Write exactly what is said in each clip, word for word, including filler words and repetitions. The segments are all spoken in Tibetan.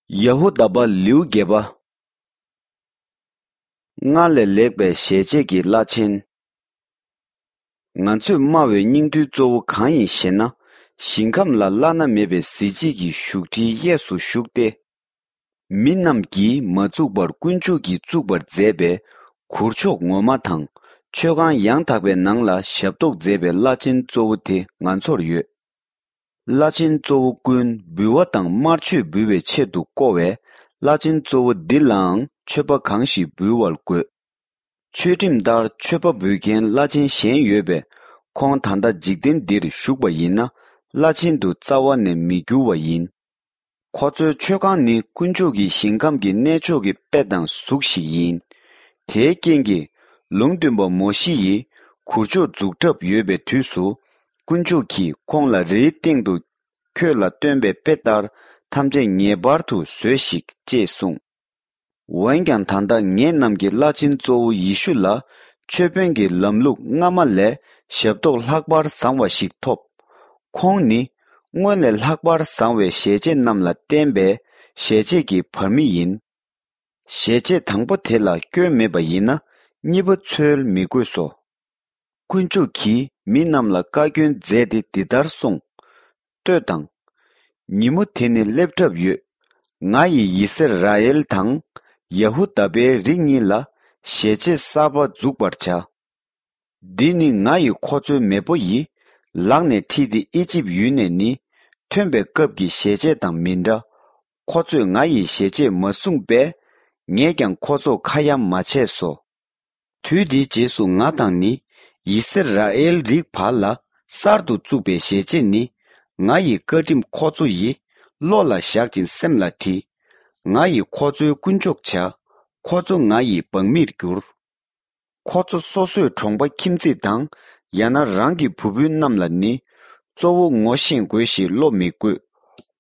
ཡ་ཧུ་དཱ་པ་ལེའུ་བརྒྱད་པ། སྔར་ལས་ལེགས་པའི་ཞལ་ཆད་ཀྱི་བླ་ཆེན། ང་ཚོས་སྨྲ་བའི་སྙིང་བསྡུས་གཙོ་བོ་གང་ཡིན་ཞེ་ན། ཞིང་ཁམས་ལ་བླ་ན་མེད་པའི་གཟི་བརྗིད་ཀྱི་བཞུགས་ཁྲིའི་གཡས་སུ་བཞུགས་ཏེ། མི་རྣམས་ཀྱིས་མ་བཙུགས་པར་དཀོན་མཆོག་གིས་བཙུགས་པར་མཛད་པའི་གུར་མཆོག་ངོ་མ་དང་མཆོད་ཁང་ཡང་དག་པའི་ནང་ལ་ཞབས་ཏོག་མཛད་པའི་བླ་ཆེན་གཙོ་བོ་དེ་ང་ཚོར་ཡོད། བླ་ཆེན་གཙོ་བོ་ཀུན་འབུལ་བ་དང་དམར་མཆོད་འབུལ་བའི་ཆེད་དུ་བསྐོ་བས། བླ་ཆེན་གཙོ་བོ་འདི་ལའང་མཆོད་པ་གང་ཞིག་འབུལ་བར་དགོས། ཆོས་ཁྲིམས་ལྟར་མཆོད་པ་འབུལ་མཁན་བླ་ཆེན་གཞན་ཡོད་པས། ཁོང་ད་ལྟ་འཇིག་རྟེན་འདིར་བཞུགས་པ་ཡིན་ན། བླ་ཆེན་དུ་རྩ་བ་ནས་མི་འགྱུར་བ་ཡིན། ཁོ་ཚོའི་མཆོད་ཁང་ནི་དཀོན་མཆོག་གི་ཞིང་ཁམས་ཀྱི་གནས་མཆོག་གི་དཔེ་དང་གཟུགས་ཤིག་ཡིན། དེའི་རྐྱེན་གྱིས། ལུང་སྟོན་པ་མོ་ཤེ་ཡིས་གུར་མཆོག་འཛུགས་གྲབས་ཡོད་པའི་དུས་སུ། དཀོན་མཆོག་གིས་ཁོང་ལ་རིའི་སྟེང་དུ་ཁྱོད་ལ་སྟོན་པའི་དཔེ་ལྟར་ཐམས་ཅད་ངེས་པར་དུ་བཟོས་ཤིག་ཅེས་གསུངས། འོན་ཀྱང་ད་ལྟ་ངེད་རྣམས་ཀྱིས་བླ་ཆེན་གཙོ་བོ་ཡེ་ཤུ་ལ་མཆོད་དཔོན་གྱི་ལམ་ལུགས་སྔ་མ་ལས་ཞབས་ཏོག་ལྷག་པར་བཟང་བ་ཞིག་ཐོབ། ཁོང་ནི་སྔོན་ལས་ལྷག་པར་བཟང་བའི་ཞལ་ཆད་རྣམས་ལ་བརྟེན་པའི་ཞལ་ཆད་ཀྱི་བར་མི་ཡིན། ཞལ་ཆད་དང་པོ་དེ་ལ་སྐྱོན་མེད་པ་ཡིན་ན། གཉིས་པ་འཚོལ་མི་དགོས་སོ། དཀོན་མཆོག་གིས་མི་རྣམས་ལ་བཀའ་བཀྱོན་མཛད་དེ་འདི་ལྟར་གསུངས། ལྟོས་དང་། ཉིན་མོ་དེ་ནི་སླེབས་གྲབས་ཡོད། ང་ཡིས་ཡི་སི་ར་ཨེལ་དང་ཡ་ཧུ་དཱ་པའི་རིགས་གཉིས་ལ་ཞལ་ཆད་གསར་པ་འཛུགས་པར་བྱ། འདི་ནི་ང་ཡི་ཁོ་ཚོའི་མེས་པོ་ཡིས་ལག་ནས་ཁྲིད་དེ་ཨི་ཇིབ་ཡུལ་ནས་ནི་ཐོན་པའི་སྐབས་ཀྱི་ཞལ་ཆད་དང་མི་འདྲ། ཁོ་ཚོས་ང་ཡི་ཞལ་ཆད་མ་བསྲུངས་པས། ངས་ཀྱང་ཁོ་ཚོ་ཁ་ཡ་མ་བྱས་སོ། དུས་དེའི་རྗེས་སུ་ང་དང་ནི་ཡི་སི་ར་ཨེལ་རིགས་བར་ལ་གསར་དུ་བཙུགས་པའི་ཞལ་ཆད་ནི། ང་ཡི་བཀའ་ཁྲིམས་ཁོ་ཚོ་ཡི་བློ་ལ་བཞག་ཅིང་སེམས་ལ་བྲིས། ང་ཡིས་ཁོ་ཚོའི་དཀོན་མཆོག་བྱ། ཁོ་ཚོ་ང་ཡི་འབངས་མིར་འགྱུར། ཁོ་ཚོ་སོ་སོའི་གྲོང་པ་ཁྱིམ་མཚེས་དང་། ཡང་ན་རང་གི་བུ་སྤུན་རྣམས་ལ་ནི། གཙོ་བོ་ངོ་ཤེས་དགོས་ཞེས་བློ་མི་དགོས།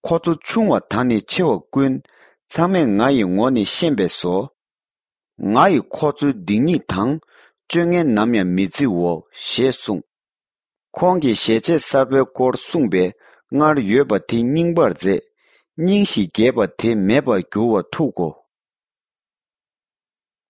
ཁོ་ཚོ་ཆུང་བ་དང་ནི་ཆེ་བ་ཀུན། ཚང་མས་ང་ཡི་ངོ་ནི་ཤེས་པས་སོ། ང་ཡིས་ཁོ་ཚོའི་སྡིག་ཉེས་དང་། སྤྱོད་ངན་ནམ་ཡང་མི་བརྩིའོ་ཞེས་གསུངས། ཁོང་གིས་ཞལ་ཆད་གསར་པའི་སྐོར་གསུངས་པས། སྔར་ཡོད་པ་དེ་རྙིང་པར་མཛད། རྙིང་ཞིང་རྒྱས་པ་དེ་མེད་པར་འགྱུར་བ་ཐུག་གོ།